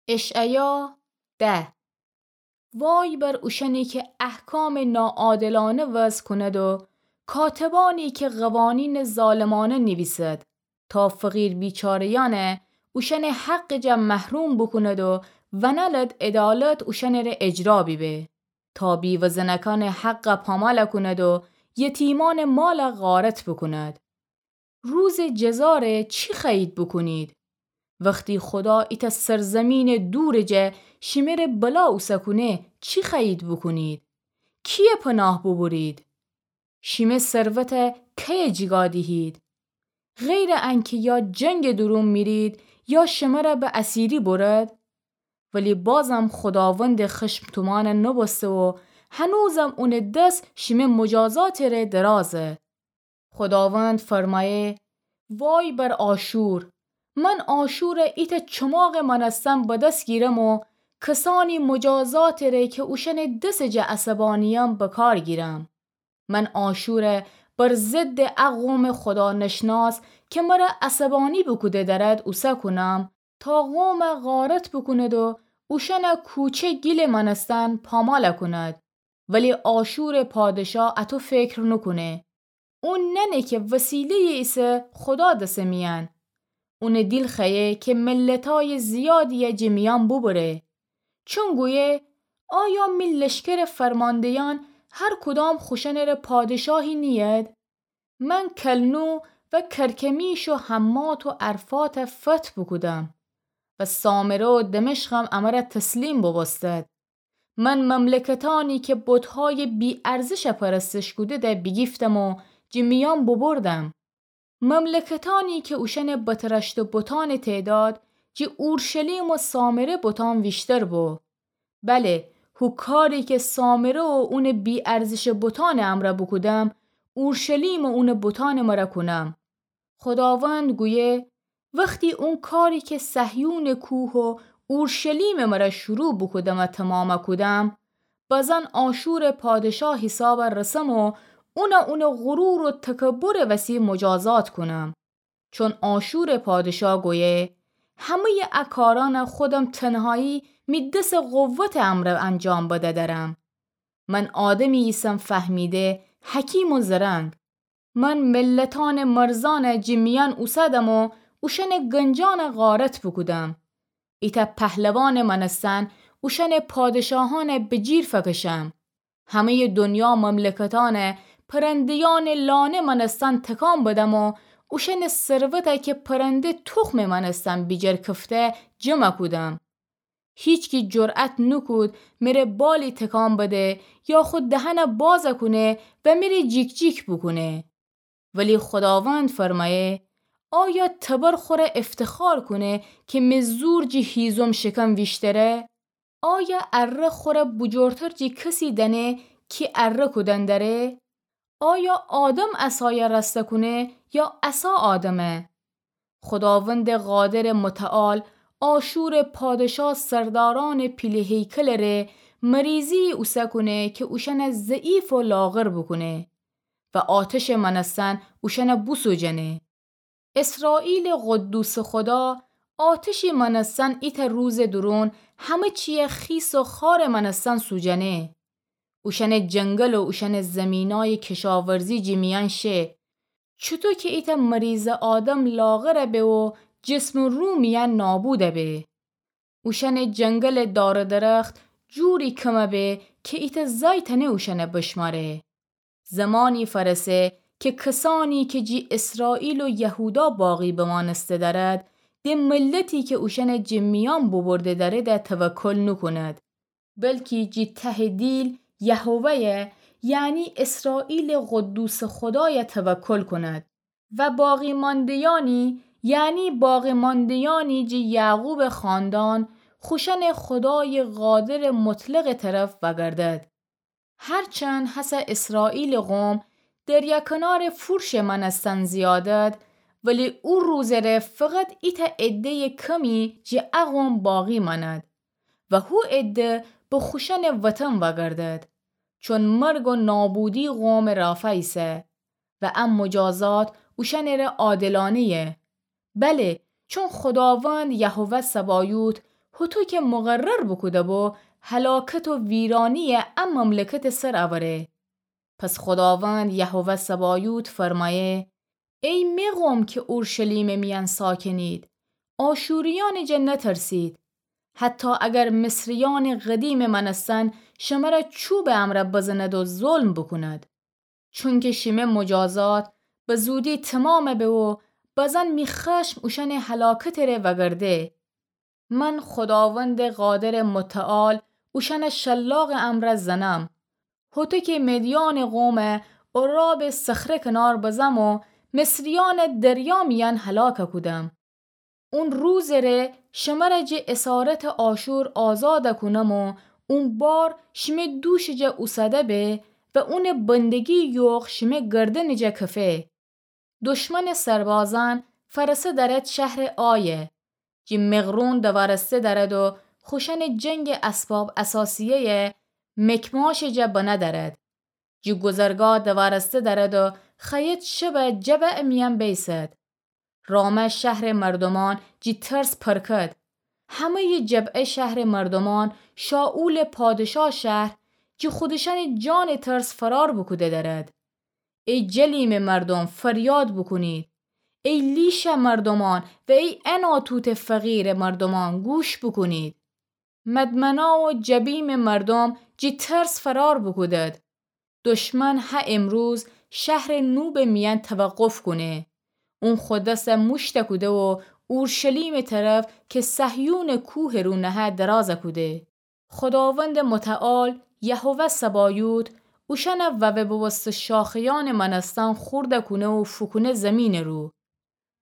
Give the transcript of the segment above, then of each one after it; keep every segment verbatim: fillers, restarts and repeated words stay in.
اشعیا ده. وای بر اوشأنی که احکامٚ ناعادلأنه وضع کند و کاتبأنی که قوانینٚ ظالمأنه نیویسد، تا فقیر بیچاره‌یأنه اوشأنٚ حقٚ جا محروم بوکوند و ونألد عدالت اوشأنٚره اجرا بیبه، تا بیوه‌زنکأنٚ حق پامال کند و یتیمأنٚ مال غارت بوکوند. روزٚ جزاره چی خوأیید بوکونید؟ وختی خودا ایتأ سرزمینٚ دورٚ جا شیمره بلا اوسه کونه، چی خوأیید بوکونید؟ کیه پناه بوبرید؟ شیمه ثروته کیه جیگا دیهید؟ غیرٚ انکه یا جنگٚ دورون میرید یا شمره به اسیری برد. ولی بازم خوداوندٚ خشم تومأن نوبوسته و هنوزم اونٚ دس شیمه مجازاتٚ ره درازه. خوداوند فرمایه: وای بر آشور! من آشوره ایتأ چماغٚ مأنستن به دس گیرم و کسأنی مجازاتٚ ره که اوشأنٚ دسٚ جا عصبانی‌یم به کار گیرم. من آشوره بر ضدٚ ا قومٚ خودانشناس که مره عصبانی بوکوده دأرد اوسه کونم، تا قوم غارت بوکوند و اوشأنٚ کوچه گیلٚ مأنستن پامال کوند. ولی آشورٚ پادشا اطو فکر نوکونه. اون نأنه که وسیله‌یٚ ایسه خودا دسٚ میأن. اونٚ دیل خوأیه که ملتأیٚ زیادی‌یه جٚه میأن بوبره. چون گویه: آیا می لشکرٚ فرمانده‌یأن هر کدام خوشأنٚ ره پادشاهی نیید؟ من کلنو و کرکمیش و حمات و ارفات فتح بوکودم و سامره و دمشقم امره تسلیم بوبوستد. من مملکتأنی که بت‌هایٚ بی‌ارزش پرستش کودیده بیگیفتم و جٚه میأن بوبردم. مملکتأنی که اوشأنٚ بترشته بتأنٚ تعداد جٚه اورشلیم و سامره بتأن ویشتر بو. بله، هو کاری که سامره و اونٚ بی‌ارزشٚ بتأنٚ امرأ بوکودم، اورشلیم و اونٚ بتأنٚ مرأ کونم. خوداوند گویه: وختی اون کاری که صهیونٚ کوه و اورشلیمٚ مرأ شروع بوکودم و تومام کودم، بزن آشورٚ پادشا حیساب رسم و اون اونٚ غرور و تکبرٚ وسی مجازات کونم. چون آشورٚ پادشا گویه: همه‌یٚ ا کارأن خودم تنهایی می دسٚ قوتٚ امرأ انجام بده درم. من آدمی ایسم فهمیده، حکیم و زرنگ. من ملتأنٚ مرزأن جٚه میأن اوسدم و اوشأنٚ گنجأن غارت بوکودم. ایتأ پهلوانٚ مأنستن اوشأنٚ پادشاهأن به جیر فکشم. همه‌یٚ دنیا مملکتأن پرنده‌یأنٚ لانه مأنستن تکان بدم و اوشأنٚ ثروته که پرنده تخمٚ مأنستن بیجر کفته جمع کودم. هیچکی جرأت نوکود مره بالی تکان بده یا خو دهن باز کونه و مره جیک‌جیک بوکونه. ولی خوداوند فرمایه: آیا تبر خوره افتخار کونه که می زور جٚه هیزم شکم ویشتره؟ آیا اره خوره بجورتر جٚه کسی دأنه کی اره کودن دره؟ آیا آدم عصایه رأسته کونه یا عصا آدمه؟ خوداوندٚ قادرٚ متعال آشورٚ پادشا سردارأنٚ پیله هیکلٚ ره مریضی اوسه کونه که اوشأنه ضعیف و لاغر بوکونه و آتشٚ مأنستن اوشأنه بوسوجنه. اسرائیلٚ قدوسٚ خودا آتشی مأنستن ایتأ روزٚ دورون همه چیه خیس و خارٚ مأنستن سوجنه. اوشأنٚ جنگل و اوشأنٚ زیمینأیٚ کشاورزی جٚه میأن شه. چوطو که ایتأ مریضٚ آدم لاغر به و جسمٚ رو میأن نابود به. اوشأنٚ جنگلٚ دار و درخت جوری کم به که ایتأ زأی تأنه اوشأنه بشمأره. زمانی فأرسه که کسأنی که جٚه اسرائیل و یهودا باقی بمأنسته دأرد، د ملتی که اوشأنه جٚه میأن بوبرده دأرده توکل نوکوند، بلکی جٚه تهٚ دیل یهوه، یعنی اسرائیلٚ قدوسٚ خودای توکل کوند. و باقی‌مانده‌یأنی، یعنی باقی‌مانده‌یأنی جٚه یعقوبٚ خاندان، خوشأنٚ خودایٚ قادرٚ مطلقٚ طرف وأگردد. هرچند هسه اسرائیلٚ قوم دریا کنارٚ فورشٚ مأنستن زیادد، ولی او روزٚ ره فقط ایتأ عده‌یٚ کمی جٚه ا قوم باقی مأند و هو عده به خوشأنٚ وطن وأگردد، چون مرگ و نابودی قومٚ رافع ایسه و ا مجازات اوشأنٚ ره عادلانه‌یه. بله، چون خوداوند یهوه صبایوت هوطو کی مقرر بوکوده‌بو، هلاکت و ویرانی‌یَ ا مملکتٚ سر اوره. پس خوداوند یهوه سبایوت فرمایه: ای می قوم کی اورشلیمٚ میأن ساکنید، آشوریأنٚ جا نترسید. حتی اگر مصریأنٚ قدیمٚ مأنستن شمره چوبٚ امرأ بزند و ظلم بوکوند. چونکی شیمه مجازات به زودی تومام به و بزن می خشم اوشأنٚ هلاکتٚ ره وگرده. من خوداوندٚ قادرٚ متعال اوشأنَ شلاقٚ امرأ زنم. هوطو کی مدیانٚ قومَ عرابٚ صخره کنار بزم و مصریأنَ دریا میأن هلاک کودم. اون روزٚ ره شمره جٚه اسارتٚ آشور آزاد کونم و اون بار شیمه دوشٚ جا اوسده به و اونٚ بندگی یوغ شیمه گردنٚ جا کفه. دشمنٚ سربازأن فرسه درد شهرٚ آی، جٚه مغرون دوارسته درد و خوشأنٚ جنگٚ اسباب اثاثیه‌یَ مکماشٚ جا بنه درد. جٚه گذرگاه دوارسته درد و خوأید شبَ جبه‌یٚ میأن بیسد. رامه شهرٚ مردومأن جٚه ترس پرکد. همه‌یٚ جبعه شهرٚ مردومأن شائولٚ پادشاه شهر جٚه خودشأنٚ جانٚ ترس فرار بوکوده درد. ای جلیمٚ مردوم، فریاد بوکونید. ای لیشٚ مردومأن و ای عناتوتٚ فقیرٚ مردومأن، گوش بوکونید. مدمنا و جبیمٚ مردوم جٚه ترس فرار بوکودد. دشمن هه امروز شهرٚ نوبٚ میأن توقف کونه. اون خو دسَ موشت کوده و اورشلیمٚ طرف کی صهیونٚ کوهٚ رو نهه دراز کوده. خوداوندٚ متعال، یهوه سبایوت، اوشأنَ ووه بوبوسته شاخه‌یأنٚ مأنستن خورد کونه و فوکونه زیمینٚ رو.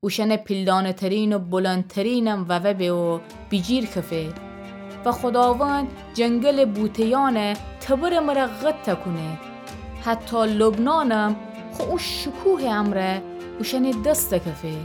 اوشأنٚ پیلدانه‌ترین و بلندترینم ووه به و بیجیر کفه. و خوداوند جنگلٚ بوته‌یأنَ تبرٚ مره قطع کونه. حتی لبنانم خو او شکوهٚ امرأ اوشأنٚ دست کفه.